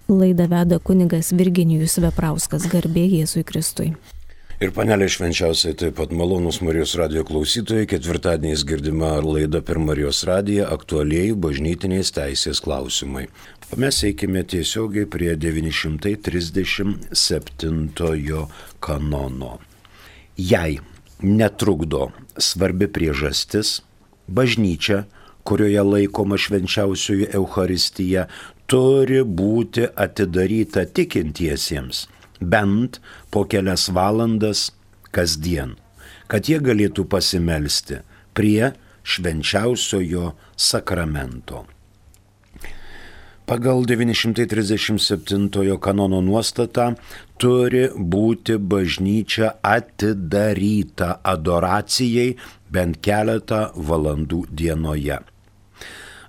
Laidą veda kunigas Virginijus Veprauskas, garbė Jėzui Kristui. Ir panelė švenčiausiai taip pat malonūs Marijos radijo klausytojai, ketvirtadieniais girdima laida per Marijos radiją aktualieji bažnytinės teisės klausimai. O mes eikime tiesiogiai prie 937 kanono. Jei netrukdo svarbi priežastis, bažnyčia, kurioje laikoma švenčiausioji Eucharistija, turi būti atidaryta tikintiesiems bent po kelias valandas kasdien, kad jie galėtų pasimelsti prie švenčiausiojo sakramento. Pagal 937 kanono nuostatą turi būti bažnyčia atidaryta adoracijai bent keletą valandų dienoje.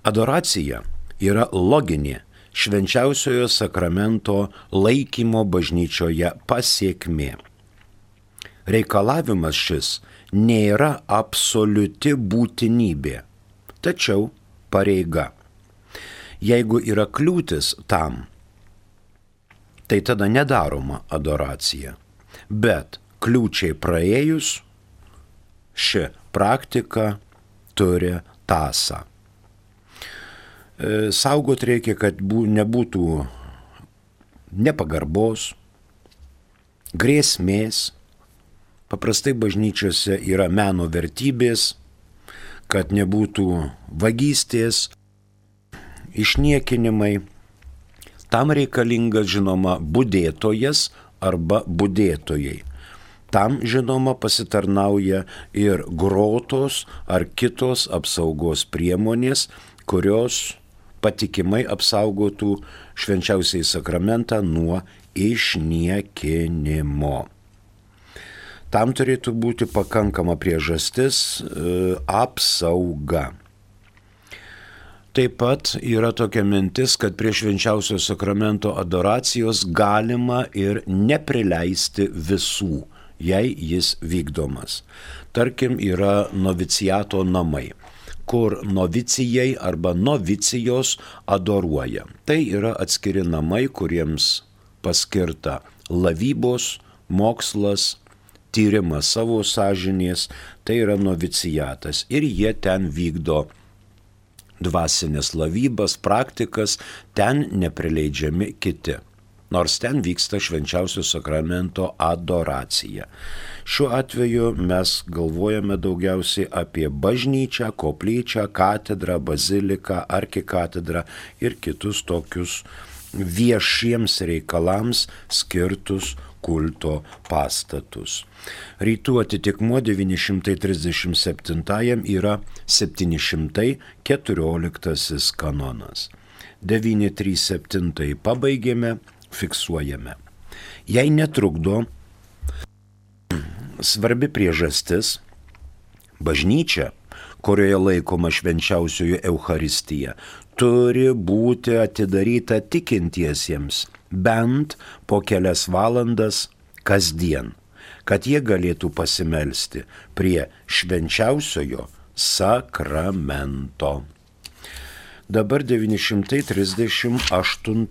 Adoracija yra loginė švenčiausiojo sakramento laikymo bažnyčioje pasiekmė. Reikalavimas šis nėra absoliuti būtinybė, tačiau pareiga. Jeigu yra kliūtis tam, tai tada nedaroma adoracija, bet kliūčiai praėjus ši praktika turi tąsą. Saugot reikia, kad nebūtų nepagarbos, grėsmės. Paprastai bažnyčiose yra meno vertybės, kad nebūtų vagystės, išniekinimai. Tam reikalingas, žinoma, budėtojas arba budėtojai. Tam, žinoma, pasitarnauja ir grotos ar kitos apsaugos priemonės, kurios patikimai apsaugotų švenčiausiai sakramentą nuo išniekinimo. Tam turėtų būti pakankama priežastis apsauga. Taip pat yra tokia mintis, kad prie švenčiausio sakramento adoracijos galima ir neprileisti visų, jei jis vykdomas. Tarkim, yra noviciato namai, kur novicijai arba novicijos adoruoja. Tai yra atskiri namai, kuriems paskirta lavybos, mokslas, tyrimas savo sąžinės, tai yra noviciatas. Ir jie ten vykdo dvasinės lavybas, praktikas, ten neprileidžiami kiti. Nors ten vyksta švenčiausio sakramento adoracija. Šiuo atveju mes galvojame daugiausiai apie bažnyčią, koplyčią, katedrą, baziliką, arkikatedrą ir kitus tokius viešiems reikalams skirtus kulto pastatus. Rytų atitikmuo 937 yra 714 kanonas. 937 pabaigėme, fiksuojame. Jei netrukdo svarbi priežastis, bažnyčia, kurioje laikoma švenčiausioji Eucharistija, turi būti atidaryta tikintiesiems bent po kelias valandas kasdien, kad jie galėtų pasimelsti prie švenčiausiojo sakramento. Dabar 938.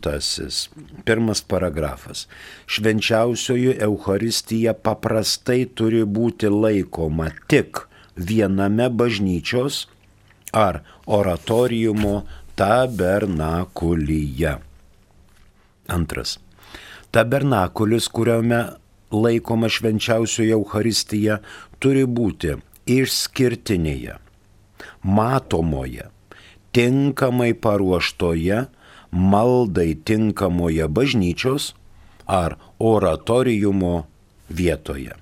Pirmas paragrafas. Švenčiausioji Eucharistija paprastai turi būti laikoma tik viename bažnyčios ar oratoriumo tabernakulyje. Antras. Tabernakulis, kuriame laikoma švenčiausioji Eucharistija, turi būti išskirtinėje, matomoje, tinkamai paruoštoje, maldai tinkamoje bažnyčios ar oratoriumo vietoje.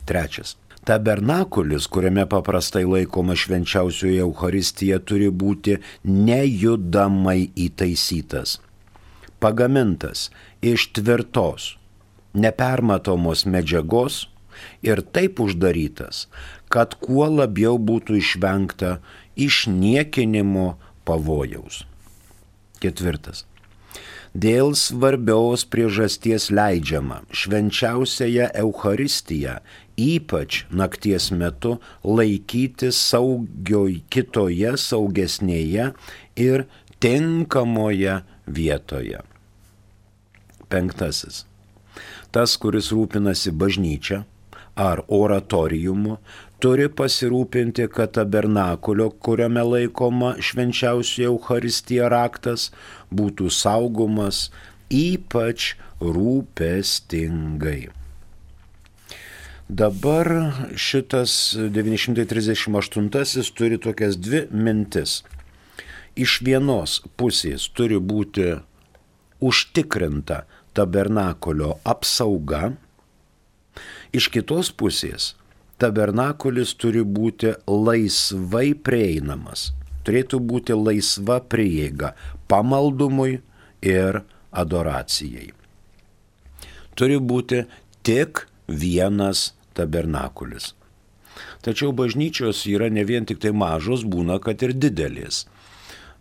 Trečias. Tabernakulis, kuriame paprastai laikoma švenčiausioji Eucharistija, turi būti nejudamai įtaisytas, pagamintas iš tvirtos, nepermatomos medžiagos ir taip uždarytas, kad kuo labiau būtų išvengta išniekinimo pavojaus. Ketvirtas. Dėl svarbios priežasties leidžiama švenčiausiąją Eucharistiją, ypač nakties metu, laikyti kitoje saugesnėje ir tinkamoje vietoje. 5. Tas, kuris rūpinasi bažnyčia ar oratoriumu, turi pasirūpinti, kad tabernakulio, kuriame laikoma švenčiausioji Eucharistija raktas, būtų saugomas ypač rūpestingai. Dabar šitas 938 turi tokias dvi mintis. Iš vienos pusės turi būti užtikrinta tabernakulio apsauga, iš kitos pusės tabernakulis turi būti laisvai prieinamas, turėtų būti laisva prieiga pamaldumui ir adoracijai. Turi būti tik vienas tabernakulis. Tačiau bažnyčios yra ne vien tik tai mažos, būna, kad ir didelės.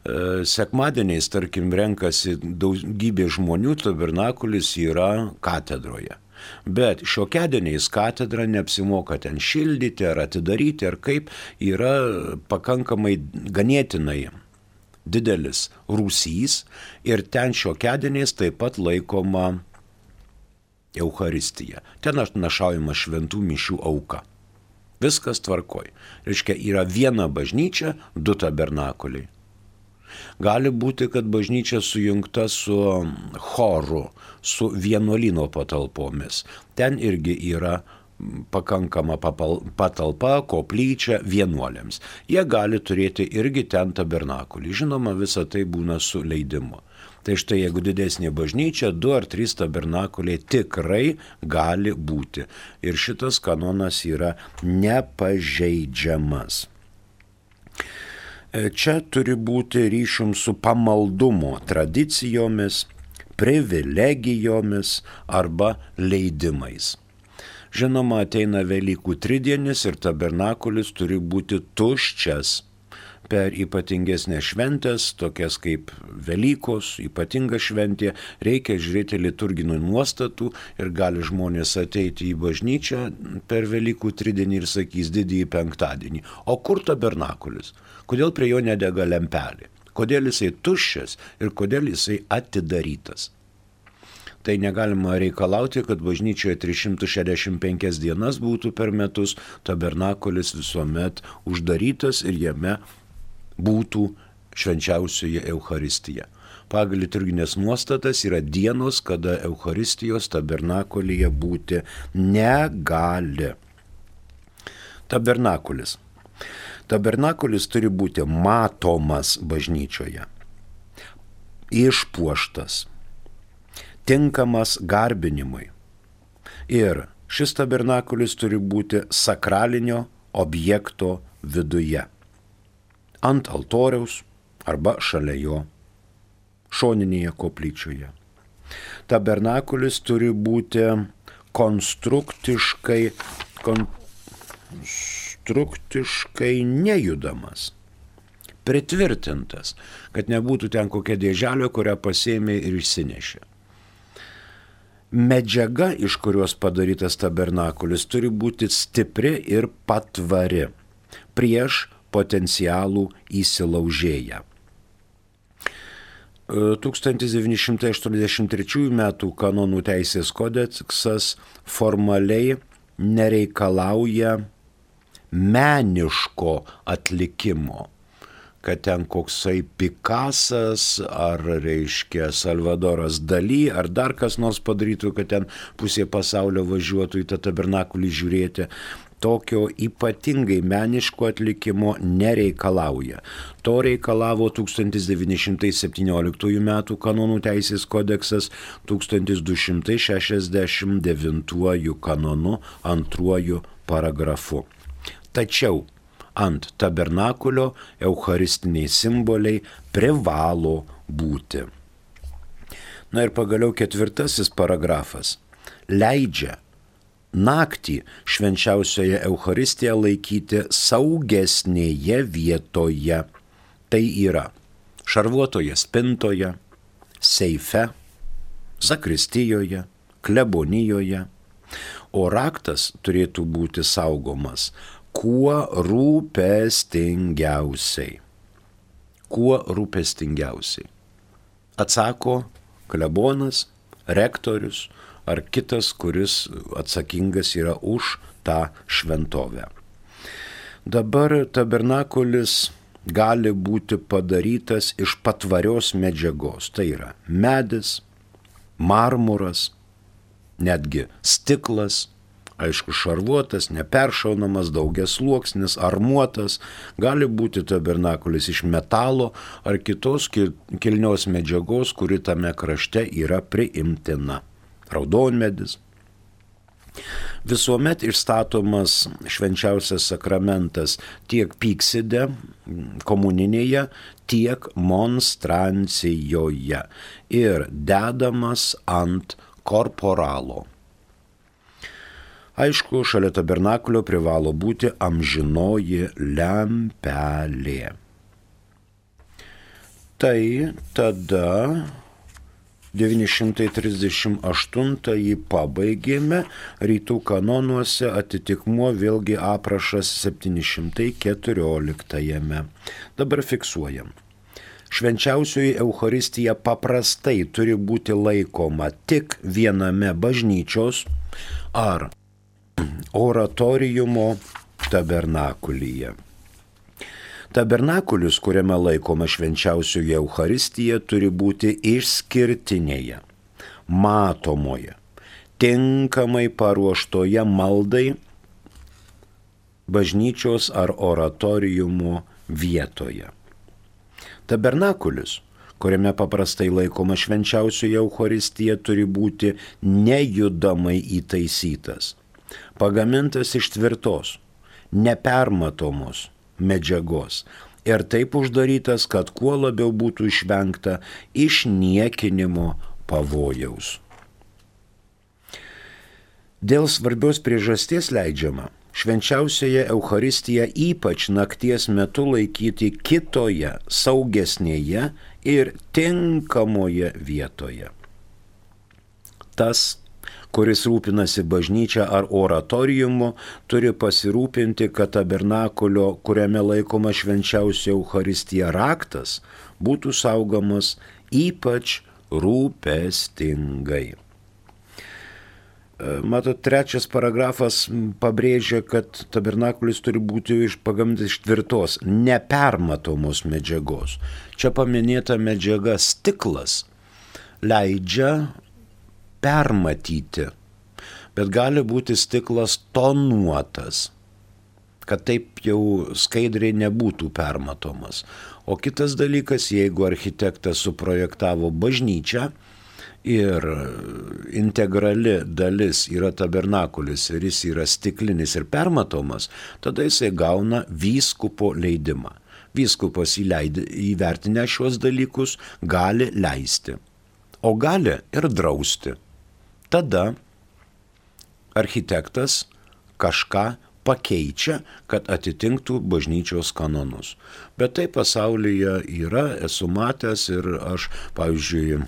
Sekmadieniais, tarkim, renkasi daugybė žmonių, tabernakulis yra katedroje. Bet šiokiadieniais katedra neapsimoka ten šildyti ar atidaryti, ar kaip, yra pakankamai ganėtinai didelis rūsys ir ten šiokiadieniais taip pat laikoma Eucharistija. Ten atnašaujama šventų mišių auka. Viskas tvarkoj. Reiškia, yra viena bažnyčia, 2 tabernakuliai. Gali būti, kad bažnyčia sujungta su choru, su vienuolyno patalpomis. Ten irgi yra pakankama patalpa, koplyčia vienuoliams. Jie gali turėti irgi ten tabernakulį. Žinoma, visa tai būna su leidimu. Tai štai, jeigu didesnė bažnyčia, 2 ar 3 tabernakuliai tikrai gali būti. Ir šitas kanonas yra nepažeidžiamas. Čia turi būti ryšium su pamaldumo tradicijomis, privilegijomis arba leidimais. Žinoma, ateina Velykų tridienis ir tabernakulis turi būti tuščias. Per ypatingesnės šventės, tokias kaip Velykos, ypatinga šventė, reikia žiūrėti liturginių nuostatų ir gali žmonės ateiti į bažnyčią per Velykų tridienį ir sakys didįjį penktadienį. O kur tabernakulis? Kodėl prie jo nedega lempelė? Kodėl jisai tuščias ir kodėl jisai atidarytas? Tai negalima reikalauti, kad bažnyčioje 365 dienas būtų per metus, tabernakulis visuomet uždarytas ir jame būtų švenčiausioji Eucharistija. Pagal liturginės nuostatas yra dienos, kada Eucharistijos tabernakulyje būti negali. Tabernakulis. Tabernakulis turi būti matomas bažnyčioje, išpuoštas, tinkamas garbinimui. Ir šis tabernakulis turi būti sakralinio objekto viduje. Ant altoriaus arba šalia jo, šoninėje koplyčioje. Tabernakulis turi būti konstruktiškai nejudamas, pritvirtintas, kad nebūtų ten kokia dėželė, kurią pasėmė ir išsinešė. Medžiaga, iš kurios padarytas tabernakulis, turi būti stipri ir patvari prieš potencialų įsilaužėją. 1983 m. kanonų teisės kodeksas formaliai nereikalauja meniško atlikimo, kad ten koksai Pikasas ar, reiškia, Salvadoras Dali ar dar kas nors padarytų, kad ten pusė pasaulio važiuotų į tą tabernakulį žiūrėti. Tokio ypatingai meniško atlikimo nereikalauja. To reikalavo 1917 m. kanonų teisės kodeksas 1269 kanonu 2 paragrafu. Tačiau ant tabernakulio eucharistiniai simboliai privalo būti. Na ir pagaliau 4 paragrafas leidžia naktį švenčiausioje Eucharistiją laikyti saugesnėje vietoje. Tai yra šarvuotoje spintoje, seife, zakristijoje, klebonijoje. O raktas turėtų būti saugomas kuo rūpestingiausiai. Kuo rūpestingiausiai. Atsako klebonas rektorius ar kitas, kuris atsakingas yra už tą šventovę. Dabar tabernakulis gali būti padarytas iš patvarios medžiagos. Tai yra medis, marmuras, netgi stiklas, aišku, šarvuotas, neperšaunamas, daugiasluoksnis, armuotas. Gali būti tabernakulis iš metalo ar kitos kilnios medžiagos, kuri tame krašte yra priimtina. Raudonmedis. Visuomet išstatomas švenčiausias sakramentas tiek pykside, komuninėje, tiek monstrancijoje ir dedamas ant korporalo. Aišku, šalia tabernakulio privalo būti amžinoji lempelė. Tai tada 938 pabaigėme, rytų kanonuose atitikmuo vėlgi aprašas 714. Dabar fiksuojam. Švenčiausioji Eucharistija paprastai turi būti laikoma tik viename bažnyčios ar oratoriumo tabernakulyje. Tabernakulis, kuriame laikoma švenčiausioji Eucharistija, turi būti išskirtinėje, matomoje, tinkamai paruoštoje maldai bažnyčios ar oratoriumo vietoje. Tabernakulis, kuriame paprastai laikoma švenčiausioji Eucharistija, turi būti nejudamai įtaisytas, pagamintas iš tvirtos, nepermatomos medžiagos ir taip uždarytas, kad kuo labiau būtų išvengta išniekinimo pavojaus. Dėl svarbios priežasties leidžiama švenčiausiąją Eucharistiją ypač nakties metu laikyti kitoje, saugesnėje ir tinkamoje vietoje. Tas, kuris rūpinasi bažnyčia ar oratoriumu, turi pasirūpinti, kad tabernakulio, kuriame laikoma švenčiausia Eucharistija raktas, būtų saugomas ypač rūpestingai. Matot, trečias paragrafas pabrėžia, kad tabernakulis turi būti pagamintas iš tvirtos, nepermatomos medžiagos. Čia paminėta medžiaga stiklas leidžia permatyti, bet gali būti stiklas tonuotas, kad taip jau skaidriai nebūtų permatomas. O kitas dalykas, jeigu architektas suprojektavo bažnyčią ir integrali dalis yra tabernakulis ir jis yra stiklinis ir permatomas, tada jisai gauna vyskupo leidimą. Vyskupas įvertinę šios dalykus gali leisti, o gali ir drausti. Tada architektas kažką pakeičia, kad atitinktų bažnyčios kanonus. Bet tai pasaulyje yra, esu matęs ir aš, pavyzdžiui,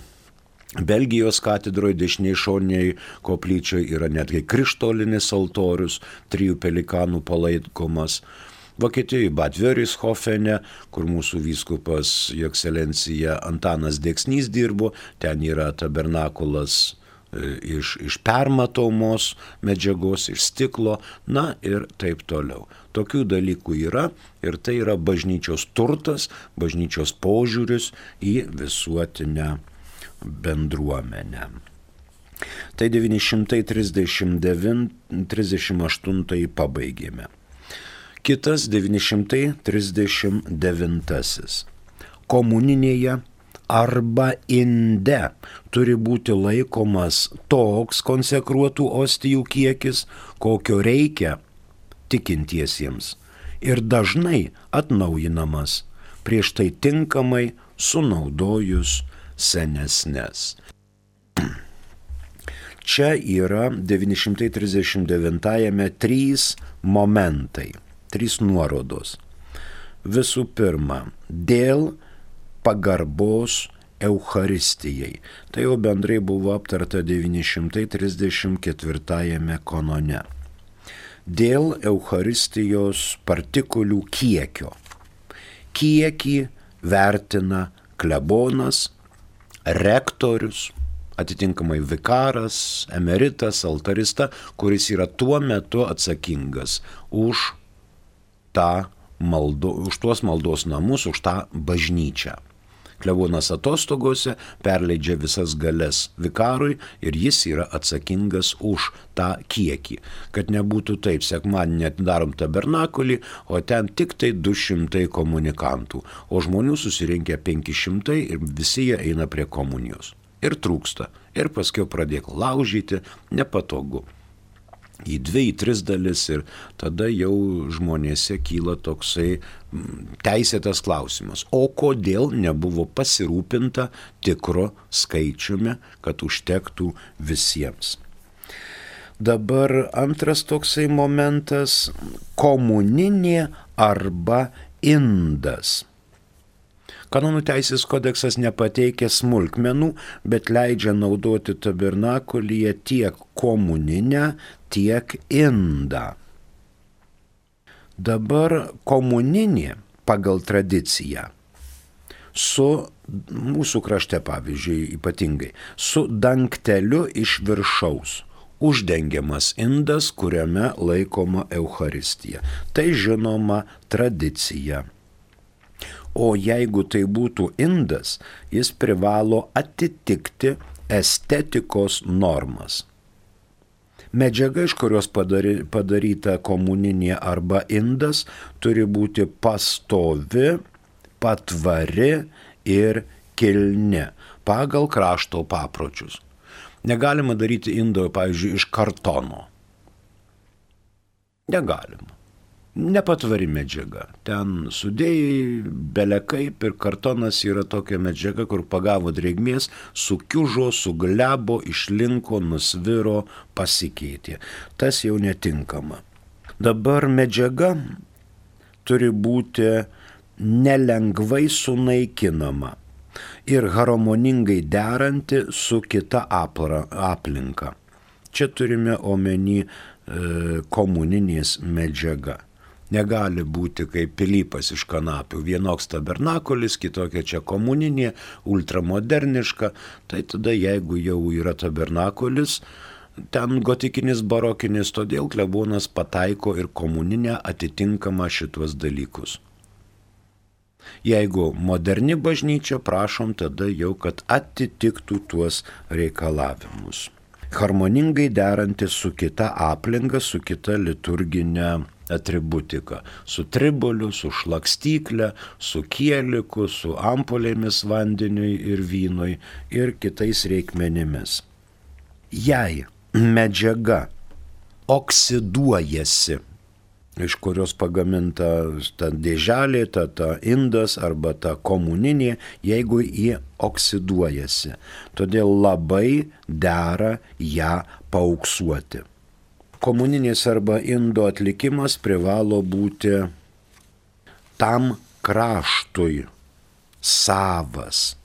Belgijos katedroje dešiniai šoniniai koplyčiai yra netgi krištolinis altorius, 3 pelikanų palaikomas. Vokietijoje Bad Wörischofene, kur mūsų vyskupas Jo ekscelencija Antanas Deksnys dirbo, ten yra tabernakulas iš permatomos medžiagos, iš stiklo, na ir taip toliau. Tokių dalykų yra ir tai yra bažnyčios turtas, bažnyčios požiūris į visuotinę bendruomenę. Tai 938 pabaigėme. Kitas 939. Komuninėje arba inde turi būti laikomas toks konsekruotų ostijų kiekis, kokio reikia tikintiesiems ir dažnai atnaujinamas, prieš tai tinkamai sunaudojus senesnes. Čia yra 939-ame 3 momentai, 3 nuorodos. Visų pirma, dėl pagarbos Eucharistijai. Tai jau bendrai buvo aptarta 934 kanone. Dėl Eucharistijos partikulių kiekio. Kiekį vertina klebonas, rektorius, atitinkamai vikaras, emeritas, altarista, kuris yra tuo metu atsakingas už tuos maldos namus, už tą bažnyčią. Klebonas atostogose perleidžia visas galias vikarui ir jis yra atsakingas už tą kiekį. Kad nebūtų taip, sekmadienį atidarom tabernakulį, o ten tik tai 200 komunikantų, o žmonių susirinkę 500 ir visi jie eina prie komunijos. Ir trūksta. Ir paskiau pradėk laužyti, nepatogu. Į 2, į 3 dalis ir tada jau žmonėse kyla toksai teisėtas klausimas. O kodėl nebuvo pasirūpinta tikro skaičiumi, kad užtektų visiems? Dabar antras toksai momentas – komuninė arba indas. Kanonų teisės kodeksas nepateikia smulkmenų, bet leidžia naudoti tabernakulyje tiek komuninę, tiek indą. Dabar komuninė pagal tradiciją su mūsų krašte, pavyzdžiui, ypatingai, su dangteliu iš viršaus. Uždengiamas indas, kuriame laikoma Eucharistija. Tai žinoma tradicija. O jeigu tai būtų indas, jis privalo atitikti estetikos normas. Medžiaga, iš kurios padaryta komuninė arba indas, turi būti pastovi, patvari ir kilni pagal krašto papročius. Negalima daryti indo, pavyzdžiui, iš kartono. Negalima. Nepatvari medžiaga. Ten sudėjai, belekaip ir kartonas yra tokia medžiaga, kur pagavo drėgmės, sukiužo, suglebo, išlinko, nusviro, pasikeitė. Tas jau netinkama. Dabar medžiaga turi būti nelengvai sunaikinama ir harmoningai deranti su kita aplinka. Čia turime omeny komuninės medžiaga. Negali būti kaip pilypas iš kanapių. Vienoks tabernakulis, kitokia čia komuninė, ultramoderniška. Tai tada, jeigu jau yra tabernakulis, ten gotikinis, barokinis, todėl klebonas pataiko ir komuninę atitinkamą šituos dalykus. Jeigu moderni bažnyčia, prašom tada jau, kad atitiktų tuos reikalavimus. Harmoningai deranti su kita aplinka, su kita liturginė atributika, su triboliu, su šlakstyklė, su kieliku, su ampulėmis vandeniui ir vynui ir kitais reikmenimis. Jei medžiaga oksiduojasi, iš kurios pagaminta ta dėželė, ta indas arba ta komuninė, jeigu jie oksiduojasi, todėl labai dera ją paauksuoti. Komuninės arba indo atlikimas privalo būti tam kraštui savas.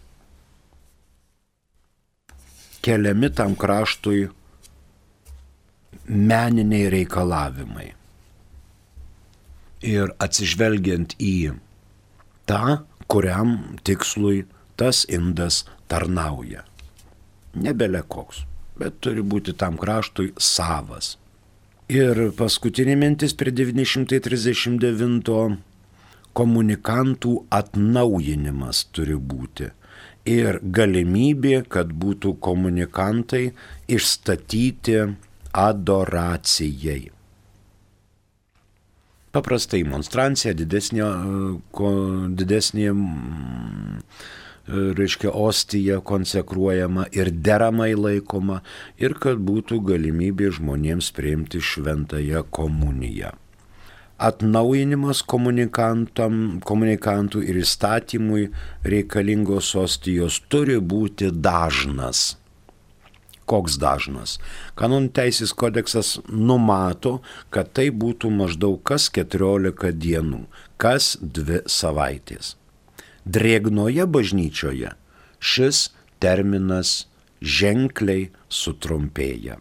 Keliami tam kraštui meniniai reikalavimai. Ir atsižvelgiant į tą, kuriam tikslui tas indas tarnauja. Nebele koks, bet turi būti tam kraštui savas. Ir paskutinė mintis prie 939 komunikantų atnaujinimas turi būti. Ir galimybė, kad būtų komunikantai išstatyti adoracijai. Paprastai monstrancija, didesnė reiškia ostija konsekruojama ir deramai laikoma ir kad būtų galimybė žmonėms priimti šventąją komuniją. Atnaujinimas komunikantų ir įstatymui reikalingos ostijos turi būti dažnas. Koks dažnas? Kanonų teisės kodeksas numato, kad tai būtų maždaug kas 14 dienų, kas 2 savaitės. Drėgnoje bažnyčioje šis terminas ženkliai sutrumpėja.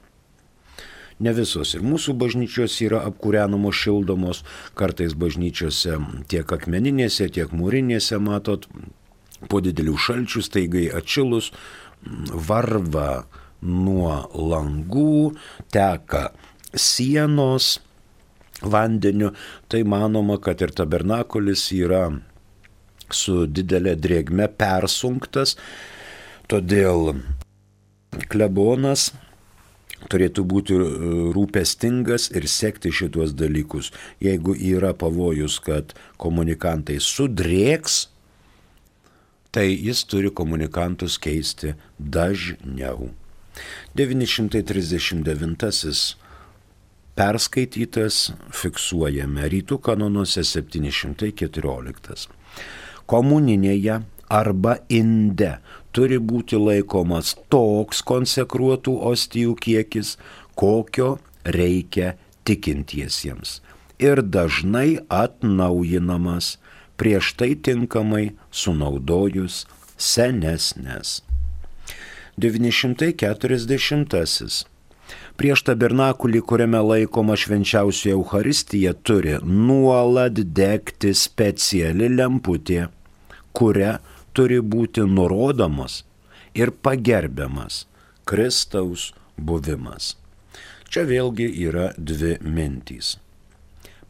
Ne visos ir mūsų bažnyčios yra apkūrenamos, šildomos, kartais bažnyčiose tiek akmeninėse, tiek mūrinėse, matot, po didelių šalčių staigai atšilus, varva nuo langų, teka sienos vandeniu, tai manoma, kad ir tabernakulis yra su didelė drėgme persunktas, todėl klebonas turėtų būti rūpestingas ir sekti šitos dalykus. Jeigu yra pavojus, kad komunikantai sudrėks, tai jis turi komunikantus keisti dažniau. 939 perskaitytas, fiksuojame rytų kanonuose 714. Komuninėje arba inde turi būti laikomas toks konsekruotų ostijų kiekis, kokio reikia tikintiesiems, ir dažnai atnaujinamas, prieš tai tinkamai sunaudojus senesnes. 940. Prieš tabernakulį, kuriame laikoma švenčiausioji Eucharistija, turi nuolat degti speciali lemputė, kuria turi būti nurodomas ir pagerbiamas Kristaus buvimas. Čia vėlgi yra dvi mintys.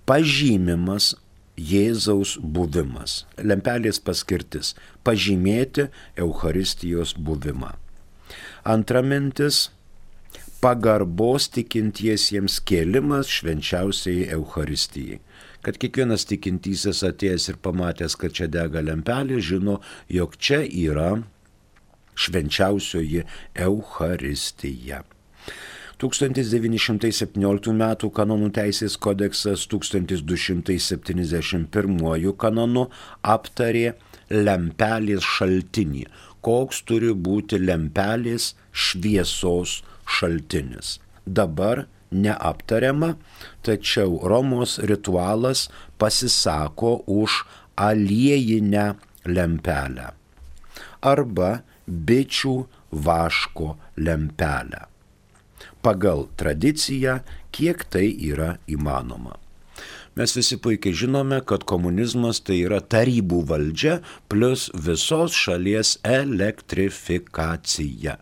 Pažymimas Jėzaus buvimas. Lempelės paskirtis – pažymėti Eucharistijos buvimą. Antra mintis – pagarbos tikintiesiems kėlimas švenčiausiai Eucharistijai. Kad kiekvienas tikintysis atėjęs ir pamatęs, kad čia dega lempelė, žino, jog čia yra švenčiausioji Eucharistija. 1917 m. kanonų teisės kodeksas 1271 kanonu aptarė lempelės šaltinį. Koks turi būti lempelės šviesos šaltinis. Dabar neaptariama, tačiau Romos ritualas pasisako už aliejinę lempelę arba bičių vaško lempelę. Pagal tradiciją, kiek tai yra įmanoma. Mes visi puikiai žinome, kad komunizmas tai yra tarybų valdžia plus visos šalies elektrifikacija.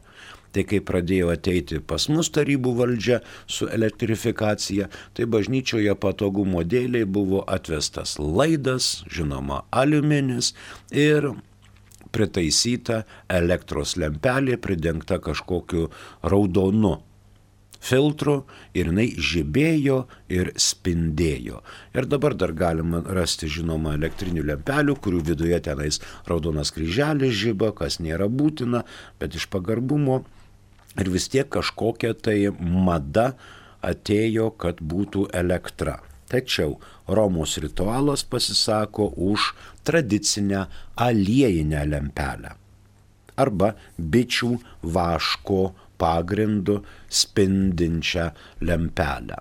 Tai kai pradėjo ateiti pas mus tarybų valdžia su elektrifikacija, tai bažnyčioje patogumo dėliai buvo atvestas laidas, žinoma, aliuminis ir pritaisyta elektros lempelė pridengta kažkokiu raudonu filtru ir jinai žibėjo ir spindėjo. Ir dabar dar galima rasti, žinoma, elektrinių lempelių, kurių viduje tenais raudonas kryželis žiba, kas nėra būtina, bet iš pagarbumo ir vis tiek kažkokia tai mada atėjo, kad būtų elektra. Tačiau Romos ritualas pasisako už tradicinę aliejinę lempelę arba bičių vaško pagrindu spindinčią lempelę.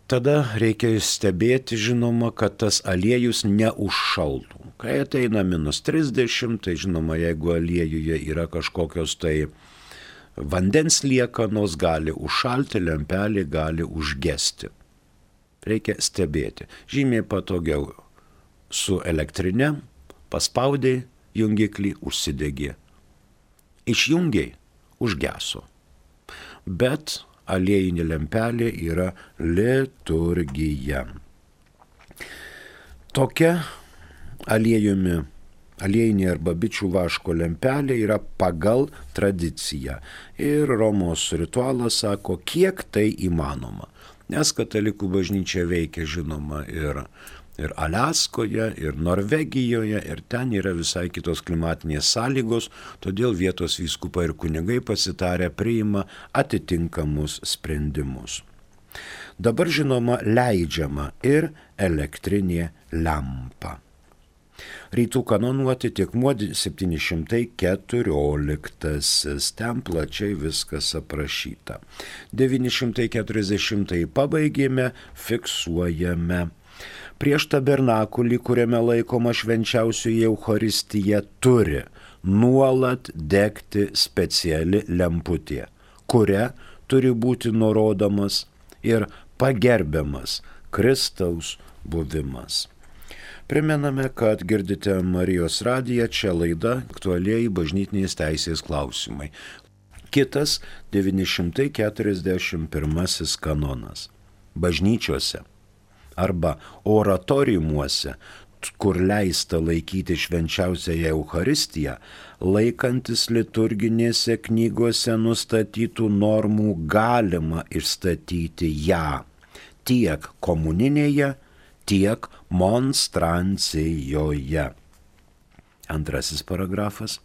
Tada reikia stebėti, žinoma, kad tas aliejus neužšaltų. Kai ateina -30, tai žinoma, jeigu aliejuje yra kažkokios tai vandens liekanos, gali užšalti, lempelė gali užgesti. Reikia stebėti. Žymiai patogiau su elektrinė, paspaudai jungiklį, užsidegė. Išjungiai, užgeso. Bet aliejinė lempelė yra liturgija. Tokia aliejinė arba bičių vaško lempelė yra pagal tradiciją. Ir Romos ritualas sako, kiek tai įmanoma. Nes katalikų bažnyčia veikia, žinoma, ir Aliaskoje, ir Norvegijoje, ir ten yra visai kitos klimatinės sąlygos, todėl vietos vyskupai ir kunigai pasitarę priima atitinkamus sprendimus. Dabar, žinoma, leidžiama ir elektrinė lempa. Rytų kanonų atitikmuo 714, ten plačiai viskas aprašyta. 940 pabaigėme, fiksuojame. Prieš tabernakulį, kuriame laikoma švenčiausioji Eucharistija, turi nuolat degti speciali lemputė, kuria turi būti nurodomas ir pagerbiamas Kristaus buvimas. Primename, kad girdite Marijos radiją, čia laida aktualieji bažnytinės teisės klausimai. Kitas 941 kanonas. Bažnyčiose arba oratoriumuose, kur leista laikyti švenčiausiąją Eucharistiją, laikantis liturginėse knygose nustatytų normų galima išstatyti ją tiek komuninėje, tiek monstrancijoje. Antrasis paragrafas.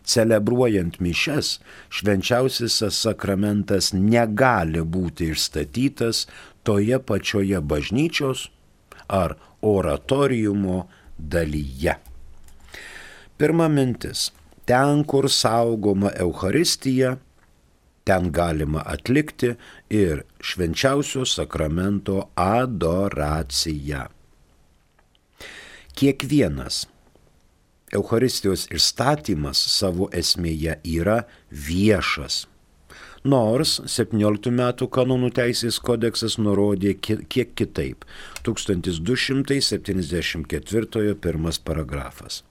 Celebruojant mišias, švenčiausiasis sakramentas negali būti išstatytas toje pačioje bažnyčios ar oratoriumo dalyje. Pirma mintis. Ten, kur saugoma Eucharistija, ten galima atlikti ir švenčiausio sakramento adoraciją. Kiekvienas Eucharistijos išstatymas savo esmėje yra viešas. Nors 17 metų kanonų teisės kodeksas nurodė kiek kitaip. 1274 pirmas paragrafas.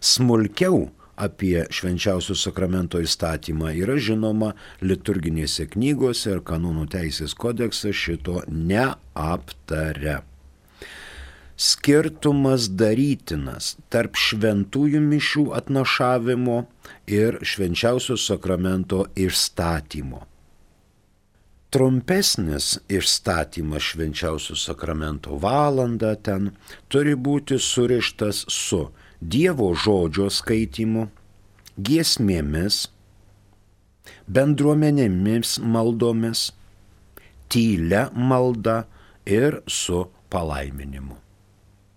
Smulkiau apie švenčiausio sakramento įstatymą yra žinoma liturginėse knygose ir kanonų teisės kodeksas šito neaptaria. Skirtumas darytinas tarp šventųjų mišių atnašavimo ir švenčiausio sakramento išstatymo. Trumpesnis išstatymas švenčiausio sakramento valandą ten turi būti surištas su Dievo žodžio skaitymu, giesmėmis, bendruomenėmis maldomis, tylia malda ir su palaiminimu.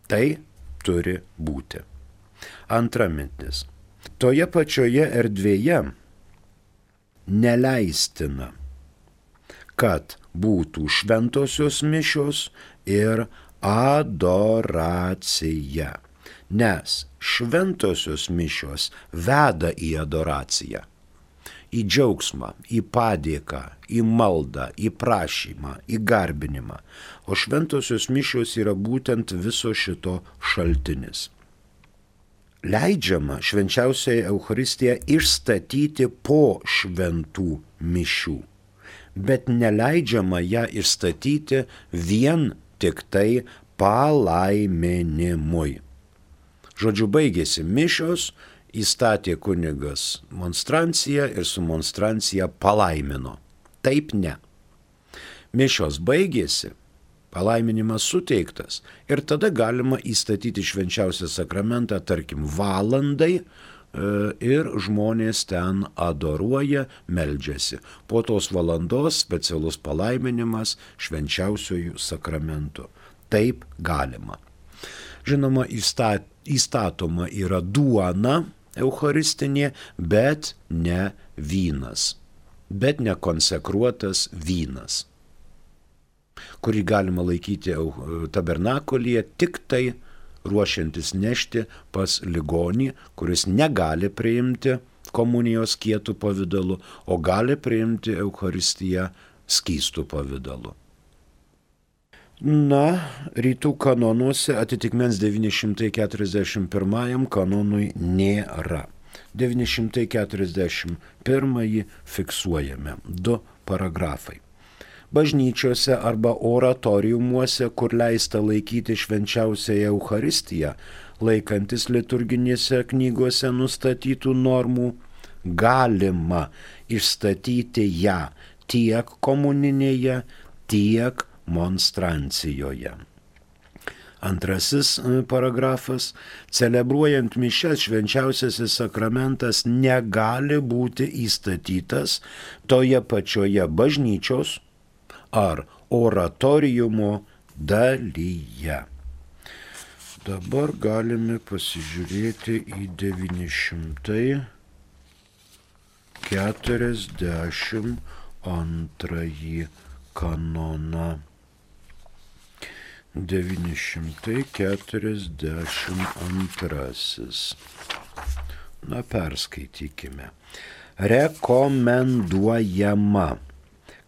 Tai turi būti. Antra mintis. Toje pačioje erdvėje neleistina, kad būtų šventosios mišios ir adoracija. Nes šventosios mišios veda į adoraciją, į džiaugsmą, į padėką, į maldą, į prašymą, į garbinimą. O šventosios mišios yra būtent viso šito šaltinis. Leidžiama švenčiausiąją Eucharistiją išstatyti po šventų mišių, bet neleidžiama ją išstatyti vien tik tai palaiminimui. Žodžiu, baigėsi mišios, įstatė kunigas monstranciją ir su monstrancija palaimino. Taip ne. Mišios baigėsi, palaiminimas suteiktas ir tada galima įstatyti švenčiausią sakramentą, tarkim, valandai ir žmonės ten adoruoja, meldžiasi. Po tos valandos specialus palaiminimas švenčiausiųjų sakramentų. Taip galima. Žinoma, įstatoma yra duona eucharistinė, bet ne vynas, bet ne konsekruotas vynas, kurį galima laikyti tabernakulyje tik tai ruošiantis nešti pas ligonį, kuris negali priimti komunijos kietų pavidalu, o gali priimti Eucharistiją skystų pavidalu. Na, rytų kanonuose atitikmens 941 kanonui nėra. 941 fiksuojame 2 paragrafai. Bažnyčiose arba oratoriumuose, kur leista laikyti švenčiausiąją Eucharistiją, laikantis liturginėse knygose nustatytų normų, galima išstatyti ją tiek komuninėje, tiek monstrancijoje. Antrasis paragrafas. Celebruojant mišias švenčiausiasis sakramentas negali būti įstatytas toje pačioje bažnyčios ar oratoriumo dalyje. Dabar galime pasižiūrėti į 942 kanoną. 942. Na, perskaitykime. Rekomenduojama,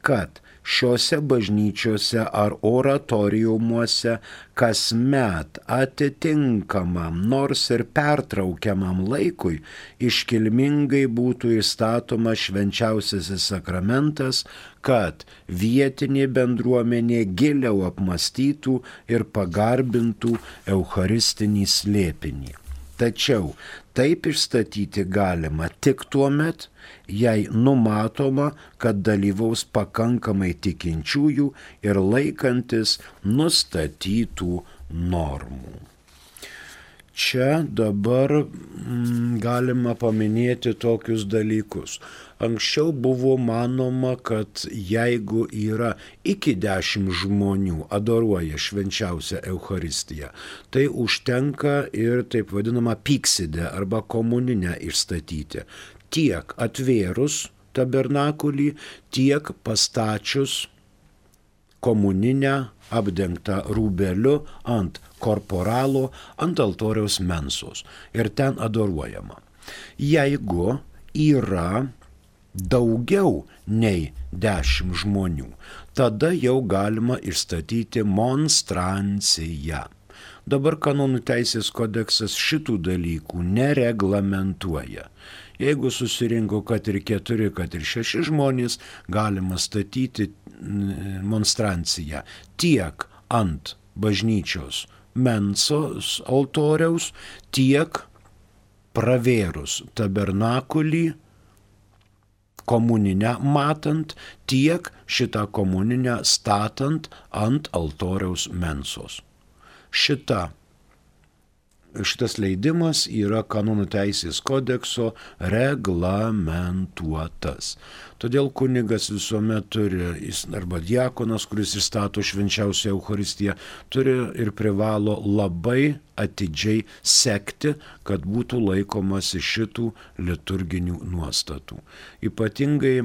kad šiuose bažnyčiose ar oratoriumuose kasmet atitinkamam, nors ir pertraukiamam laikui, iškilmingai būtų įstatomas švenčiausiasis sakramentas, kad vietinė bendruomenė giliau apmąstytų ir pagarbintų eucharistinį slėpinį. Tačiau taip išstatyti galima tik tuomet, jei numatoma, kad dalyvaus pakankamai tikinčiųjų ir laikantis nustatytų normų. Čia dabar galima paminėti tokius dalykus. Anksčiau buvo manoma, kad jeigu yra iki 10 žmonių adoruoja švenčiausią Eucharistiją, tai užtenka ir taip vadinamą pyksidę arba komuninę išstatyti. Tiek atvėrus tabernakulį, tiek pastačius komuninę apdengtą rūbeliu ant korporalo, ant altoriaus mensos ir ten adoruojama. Jeigu yra daugiau nei 10 žmonių, tada jau galima išstatyti monstranciją. Dabar kanonų teisės kodeksas šitų dalykų nereglamentuoja. Jeigu susirinko kad ir 4, kad ir 6 žmonės, galima statyti monstranciją tiek ant bažnyčios mensos altoriaus, tiek pravėrus tabernakulį komuninę matant, tiek šitą komuninę statant ant altoriaus mensos. Šitas leidimas yra kanonų teisės kodekso reglamentuotas. Todėl kunigas visuomet turi, arba diakonas, kuris įstato švenčiausią Eucharistiją, turi ir privalo labai atidžiai sekti, kad būtų laikomasi šitų liturginių nuostatų. Ypatingai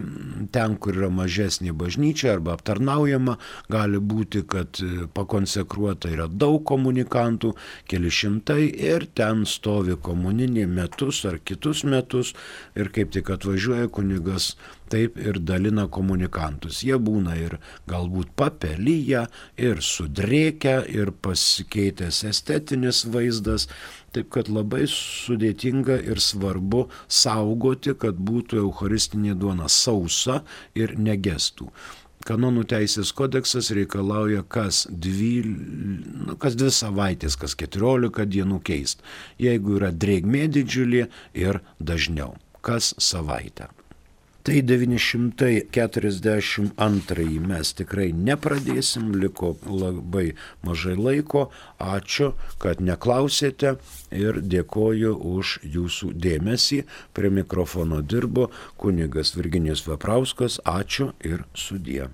ten, kur yra mažesnė bažnyčia arba aptarnaujama, gali būti, kad pakonsekruota yra daug komunikantų, keli šimtai, ir ten stovi komuninė metus ar kitus metus, ir kaip tik atvažiuoja kunigas, taip ir dalina komunikantus. Jie būna ir galbūt papelyje, ir sudrėkę, ir pasikeitęs estetinis vaizdas, taip kad labai sudėtinga ir svarbu saugoti, kad būtų eucharistinė duona sausa ir negestų. Kanonų teisės kodeksas reikalauja kas 2 savaitės, kas 14 dienų keist. Jeigu yra drėgmė didžiulė ir dažniau, kas savaitę. Tai 942 mes tikrai nepradėsim, liko labai mažai laiko. Ačiū, kad neklausėte ir dėkoju už jūsų dėmesį. Prie mikrofono dirbo kunigas Virginijus Veprauskas. Ačiū ir sudie.